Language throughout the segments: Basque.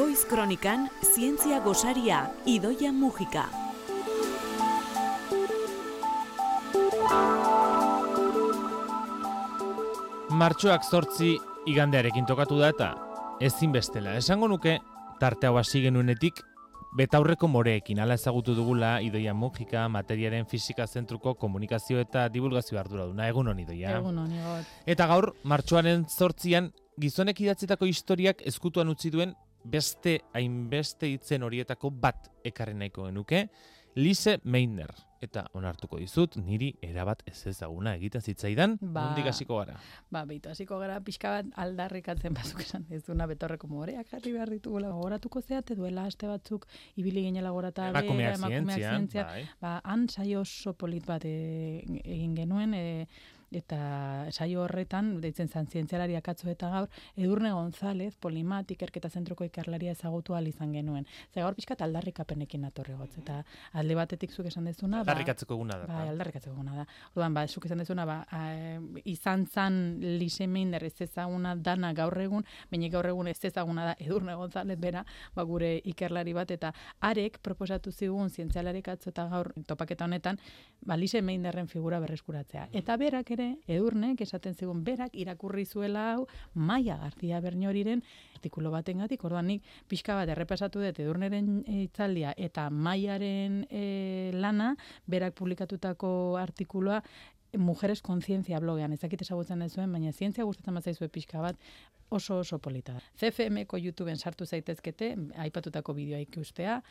Goiz Kronikan, zientzia gosaria, Idoia Mujika. Martxoak 8 igandearekin tokatu da eta ezinbestela. Esango nuke, tarte hau hasi genuenetik, betaurreko moreekin, hala ezagutu dugula Idoia Mujika, materiaren fisika zentruko komunikazio eta divulgazio arduraduna. Egun hon, Idoia. Egun hon, Igot. Eta gaur, martxoaren 8an, gizonek idatzitako historiak ezkutuan utzi duen beste hainbeste hitzen horietako bat ekarri nahiko genuke, Lise Meitner. Eta onartuko dizut, niri erabat ez ezaguna egiten zitzaidan, nondik hasiko gara? Beitu hasiko gara, pixka bat aldarrikatzen bazuk esan ez duna betorreko moreak jarri behar ditugula. Gogoratuko zeate duela aste batzuk, ibili ginela gorata emakumeak zientzia. Han saio oso polit bat egin genuen, eta saio horretan, deitzen zan zientzialari akatzo eta gaur, Edurne González, Polimat, ikerketa zentroko ikerlaria ezagutu ahal izan genuen. Ze gaur pixka aldarrikapenekin natorri gotz, eta alde batetik zuk esan dezuna, aldarrikatzeko eguna da. Aldarrikatzeko eguna da. Orduan, zuk esan dezuna, izan zan Lise Meitner ez ezaguna dana gaur egun, baina gaur egun ez ezaguna da Edurne González bera, gure ikerlari bat, eta arek proposatu zigun zientzialari akatzo eta gaur topaketa honetan, Lise Meitnerren figura berreskuratzea. Eta berak Edurnek esaten zigun berak irakurri zuela hau Maia García Berñoriren artikulu batengatik. Orduan nik pixka bat errepasatu dut Edurneren hitzaldia eta Maiaren lana, berak publikatutako artikulua Mujeres Conciencia blogean. Ez dakit ezagutzen duzuen, baina zientzia gustatzen bazaizue pixka bat, oso polita da. CFM-ko YouTubeen sartu zaitezkete, aipatutako bideoa ikustea,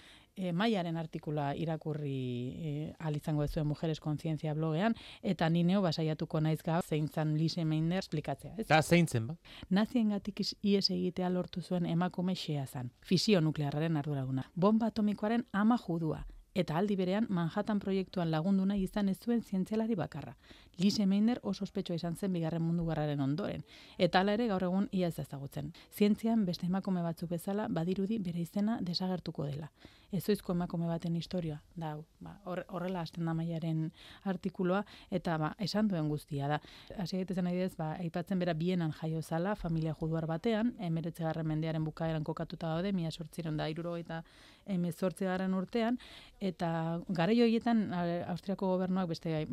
Maiaren artikula irakurri ahal izango duzuen Mujeres Conciencia blogean, eta ni neu basaiatuko naiz gaur zein zan Lise Meitner esplikatzea. Eta zein zen ba? Naziengatik ihes egitea lortu zuen emakume xea zan, fisio nuklearraren arduraduna. Bomba atomikoaren ama judua. Eta aldi berean Manhattan proiektuan lagundu nahi izan ez zuen zientzialari bakarra. Lise Meitner oso ospetsua izan zen Bigarren Mundu Gerraren ondoren, eta hala ere gaur egun ia ez ezagutzen. Zientzian beste emakume batzuk bezala badirudi bere izena desagertuko dela. Ezoizko emakume baten historia da hau. Horrela hasten da Maiaren artikulua eta esan duen guztia da. Hasi gaitezen adibidez, aipatzen bera Bienan jaio zala, familia juduar batean, 19. mendearen bukaeran kokatuta daude, 1878 urtean, eta garai horietan Austriako gobernuak beste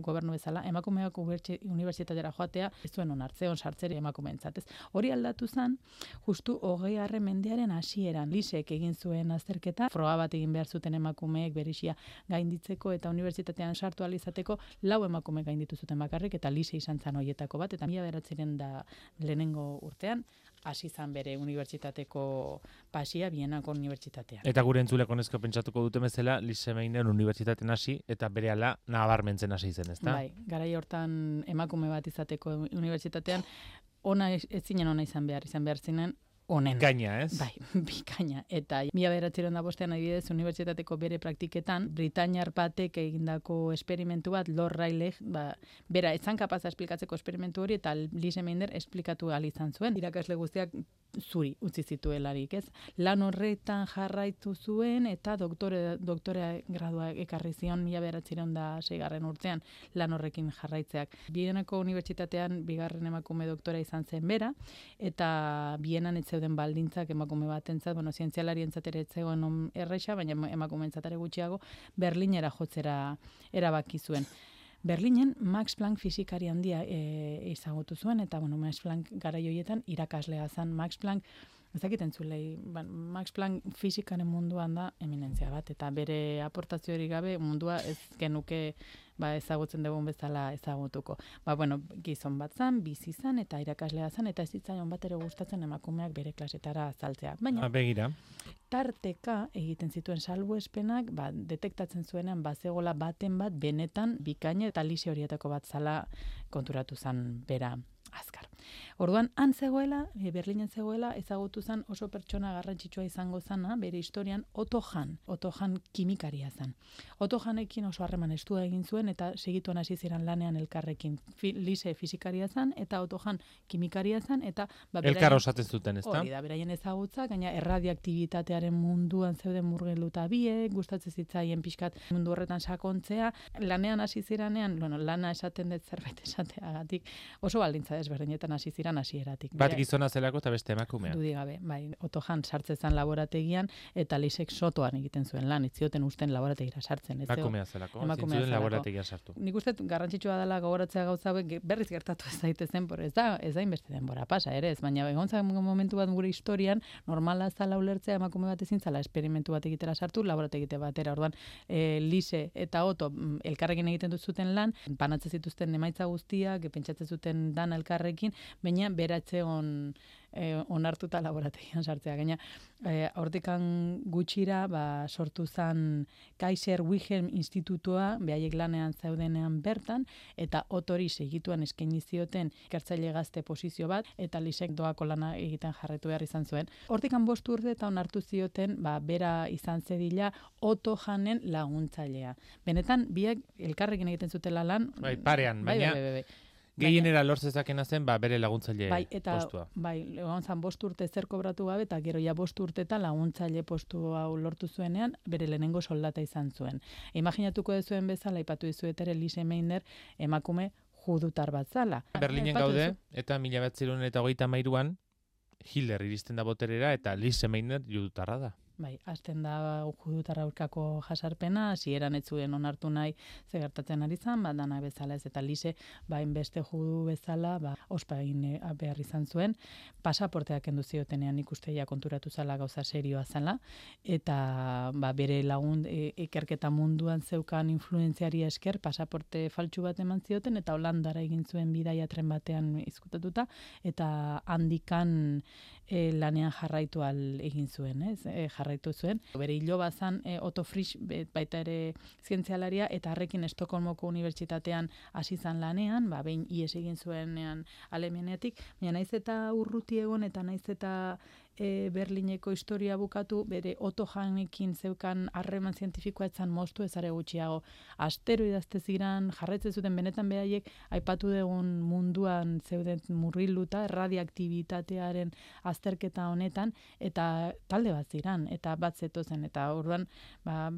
gobernu bezala emakumeak unibertsitatera joatea ez zuen onartze sartzeri emakumeentzat. Hori aldatu zen justu 20. mendearen hasieran Lisek egin zuen azterketa, froga bat egin behar zuten emakumeek berisia gainditzeko eta unibertsitatean sartu ahal izateko 4 emakume gainditu zuten bakarrik eta Lise izan zen hoietako bat eta 1902 urtean hasi zan bere unibertsitateko pasia Bienako unibertsitatean. Eta gure entzuleko neska pentsatuko dute bezala Lise Meitner unibertsitatean hasi eta berehala nabarmentzen hasi zen, ezta? Bai, garai hortan emakume bat izateko unibertsitatean ezinen ona izan behar zinen onen. Bikaina, ez? Bai, bikaina. Eta 1905 adibidez unibertsitateko bere praktiketan britainiar batek egindako esperimentu bat, Lord Rayleigh, bera etzan kapaza esplikatzeko esperimentu hori eta Lise Meitner esplikatu ahal izan zuen. Irakasle guztiak zuri utzi zituelarik, ez? Lan horretan jarraitu zuen eta doktorea gradua ekarri zion 1906 urtean lan horrekin jarraitzeak. Bienako unibertsitatean bigarren emakume doktora izan zen bera eta Bienan ez zeuden baldintzak emakume batentzat, zientzialarientzat ere ez zegoen erresa, baina emakumeentzat ere gutxiago Berlinera jotzera erabaki zuen. Berlinen Max Planck fisikari handia ezagutu zuen, eta Max Planck garai horietan irakaslea zen. Max Planck, ezakiten zulei, Max Planck fisikaren munduan da eminentzia bat, eta bere aportazio hori gabe mundua ez genuke ezagutzen dugun bezala ezagutuko. Gizon bat zan, bizi zan, eta irakaslea zan, eta ez zitzaion bat ere gustatzen emakumeak bere klasetara azaltzea. Baina, begira. Tarteka egiten zituen salbuespenak, detektatzen zuenean bazegola baten bat benetan bikaina eta Lise horietako bat zala konturatu zan bera azkar. Orduan, han zegoela, Berlinen zegoela, ezagutu zen oso pertsona garrantzitsua izango zana, bere historian, Otto Hahn kimikaria zen. Otto Hahnekin oso harreman estua egin zuen, eta segituan hasi ziren lanean elkarrekin. Lise fisikaria zen, eta Otto Hahn kimikaria zen, eta... Elkar osatzen zuten, ez da? Hori da, beraien ezagutza, gaina erradioaktibitatearen munduan zeuden murgilduta biek, gustatzen zitzaien pixkat mundu horretan sakontzea, lanean hasi ziranean, lana esaten dut zerbait esateagatik, oso baldintza desberdinetan hasi ziren hasieratik. Bat gizona zelako eta beste emakumea. Dudik gabe, bai, Otto Hahn sartzen laborategian eta Lisek sotoan egiten zuen lan, ez zioten usten laborategira sartzen. Emakumea zelako, zintzuden laborategia sartu. Nik uste garrantzitsua dela gogoratzea gauza hauek berriz gertatu ez daitezen, ez da inbeste denbora pasa ere ez, baina egon zen momentu bat gure historian normala zala ulertzea emakume bat ezin zala esperimentu bat egitera sartu, laborategite batera. Orduan, Lise eta Otto elkarrekin egiten duzuten lan, banatzen zituzten emaitza guztiak, pentsatzen zuten dan elkarrekin, baina beratze onartuta laborategian sartzea. Gaina, hortikan gutxira sortu zen Kaiser Wilhelm Institutua, behaiek lanean zeudenean bertan, eta Ottori segituan eskaini zioten ikertzaile gazte posizio bat, eta Lisek doako lana egiten jarraitu behar izan zuen. Hortikan 5 urte eta onartu zioten, bera izan zedila Otto Hahnen laguntzailea. Benetan, biak elkarrekin egiten zutela lan. Bai, parean, baina gehienera lortzezakena zen, bere laguntzaile postua. Bai, egon zan 5 urte zer kobratu gabe, eta gero ja 5 urte eta laguntzaile postu hau lortu zuenean, bere lehenengo soldata izan zuen. Imaginatuko dezuen bezala, aipatu dizuet ere Lise Meitner emakume judutar bat zala. Berlinen gaude, eta 1933an Hitler iristen da boterera, eta Lise Meitner judutarra da. Bai, hasten da judutarra aurkako jasarpena, hasieran ez zuen onartu nahi ze gertatzen ari zan, dana bezala ez, eta Lise, hainbeste judu bezala, ospa egin behar izan zuen, pasaporteak kendu ziotenean ikusteia konturatu zala gauza serioa zala, eta bere lagun ikerketa munduan zeukan influentziari esker, pasaporte faltsu bat eman zioten, eta Holandara egin zuen bidaia tren batean izkutatuta, eta handikan lanean jarraitu egin zuen, jarraitu zuen. Bere iloba zan Otto Frisch baita ere zientzialaria, eta harrekin Estokolmoko unibertsitatean hasi zan lanean, behin ihes egin zuenean Alemaniatik, baina naiz eta urruti egon eta naiz eta Berlineko historia bukatu, bere Otto Hahnekin zeukan harreman zientifikoa etzan moztu ezare gutxiago. Astero idazte ziren, jarraitzen zuten benetan beraiek aipatu dugun munduan zeuden murriluta, radioaktibitatearen azterketa honetan, eta talde bat ziren, eta bat zetozen, eta orduan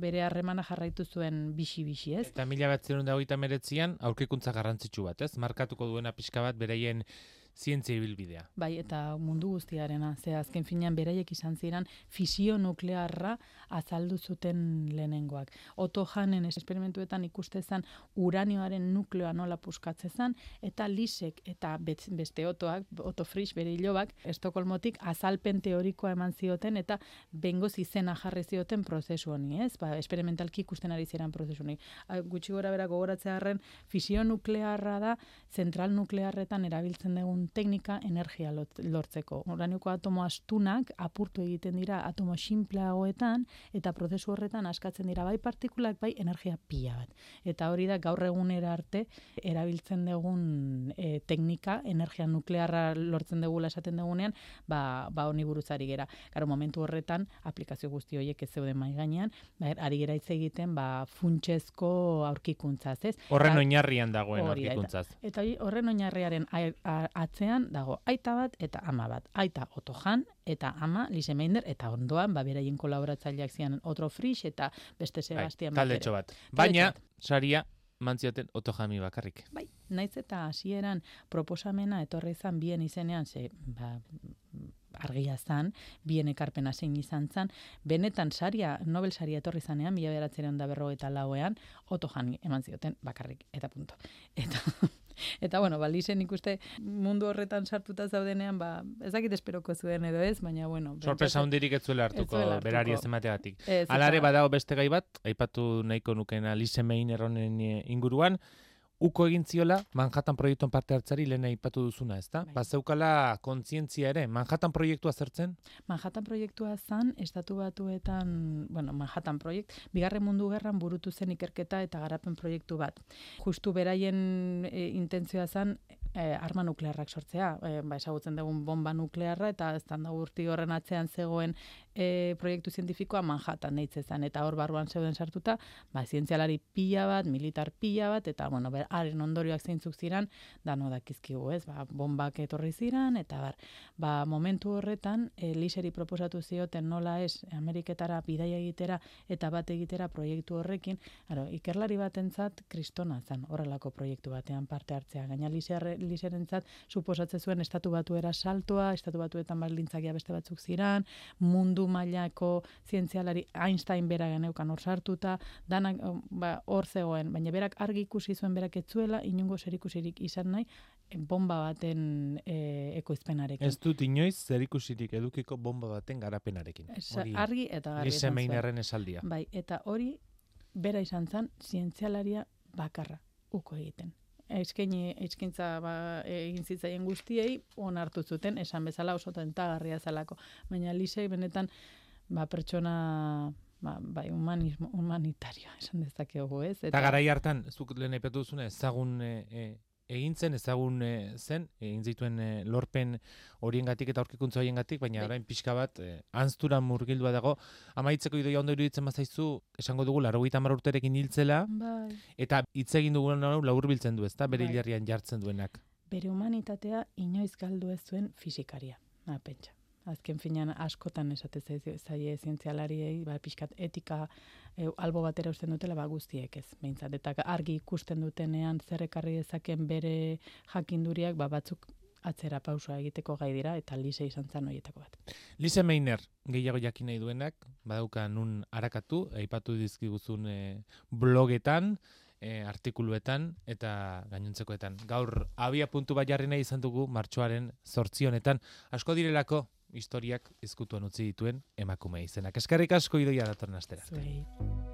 bere harremana jarraitu zuen bixi-bixi, ez? Eta 1939an aurkikuntza garrantzitsu bat, ez? Markatuko duena pixka bat beraien zientzia ibilbidea. Bai, eta mundu guztiarena. Ze azken finean beraiek izan ziren fisio nuklearra azaldu zuten lehenengoak. Otto Hahnen esperimentuetan ikustezan uranioaren nukleoa nola puskatzezan, eta Lisek eta beste Otto Frisch bere ilobak, Estokolmotik azalpen teorikoa eman zioten, eta bengoz izena jarri zioten prozesu honi, ez? Esperimentalki ikusten ari ziren prozesu honi. Gutxi gora bera gogoratzearen fisio nuklearra da, zentral nuklearretan erabiltzen dugun teknika energia lortzeko. Uranioko atomo astunak apurtu egiten dira atomo sinpleagoetan, eta prozesu horretan askatzen dira bai partikulak, bai energia pila bat. Eta hori da gaur egunera arte erabiltzen dugun teknika, energia nuklearra lortzen dugula esaten dugunean, honi buruzari gera. Garo, momentu horretan, aplikazio guzti horiek ez zeuden mai gainean, ari gera hitz egiten funtsezko aurkikuntzaz, ez? Horren oinarrian dagoen aurkikuntzaz. Eta horren oinarriaren atzean dago aita bat eta ama bat. Aita Otto Hahn eta ama Lise Meitner, eta ondoan beraien kolaboratzaileak ziren Otto Frisch eta beste Sebastian taldetxo bat. Baina saria mantzioten Otto Hahni bakarrik. Bai, naiz eta hasieran proposamena etorri izan bien izenean, argia zan, bien ekarpena zein izan zan, benetan saria, Nobel saria etorri zanean, 1954ean, Otto Hahni eman zioten bakarrik, eta punto. Eta bueno, Lisen ikuste mundu horretan sartuta zaudenean, ez dakit esperoko zuen edo ez, baina bueno. Sorpresa hundirik ez zuela hartuko, berari ez emategatik. Alare badago beste gai bat, aipatu nahiko nukena Lise Meitner honen inguruan, uko egin ziola Manhattan proiektuan parte hartzari lehen aipatu duzuna, ezta? Bazeukala kontzientzia ere, Manhattan proiektua zertzen? Manhattan proiektua zan, Estatu Batuetan, Manhattan proiekt, Bigarren Mundu Gerran burutu zen ikerketa eta garapen proiektu bat. Justu beraien intentzioa zan, arma nuklearrak sortzea, ezagutzen dugun bomba nuklearra, eta ez da urti horren atzean zegoen proiektu zientifikoa Manhattan deitze zen, eta hor barruan zeuden sartuta, zientzialari pila bat, militar pila bat, eta, haren ondorioak zeintzuk ziren, dano dakizkigu, ez, bombak etorri ziren, eta momentu horretan, Liseri proposatu zioten nola ez, Ameriketara bidaia egitera, eta bat egitera proiektu horrekin, ikerlari batentzat kristona zen, horrelako proiektu batean parte hartzea. Gaina Liserentzat suposatzen zuen estatu batuera saltoa, estatu batuetan baldintzakia beste batzuk ziran, mundu mailako zientzialari Einstein bera geneukan hor sartuta, danak hor zegoen, baina berak argi ikusi zuen berak etzuela, inungo zerikusirik izan nahi, bomba baten ekoizpenarekin. Ez dut inoiz zerikusirik edukiko bomba baten garapenarekin. Argi eta garbi. Lise Meitnerren esaldia. Bai, eta hori bera izan zen zientzialaria bakarra uko egiten. Eskaintza egin zitzaien guztiei onartu zuten, esan bezala oso tentagarria zelako. Baina Lisei benetan pertsona humanitarioa esan dezakegu, ez? Eta garai hartan, zuk lehen aipatu duzuna, ezagun zen, egin zituen lorpen horiengatik eta aurkikuntza horiengatik, baina orain pixka bat anztura murgildua dago. Amaitzeko idoia ondo iruditzen bazaizu, esango dugu 90 urterekin hiltzela, eta hitz egin dugun laburbiltzen du, ezta bere hilerrian jartzen duenak. Bere humanitatea inoiz galdu ez zuen fisikaria, pentsa. Azken finean askotan esate zaie zientzialariei, pixkat etika albo batera usten dutela, guztiek ez, behintzat. Eta argi ikusten dutenean zer ekarri dezaken bere jakinduriak, batzuk atzera pausoa egiteko gai dira, eta Lise izan zen horietako bat. Lise Meitner, gehiago jakin nahi duenak, badauka nun arakatu, aipatu dizkiguzun blogetan, artikuluetan eta gainontzekoetan. Gaur abia puntu bat jarri nahi izan dugu martxoaren 8 honetan. Asko direlako historiak ezkutuan utzi dituen emakume izenak. Eskerrik asko Idoia datorren astera.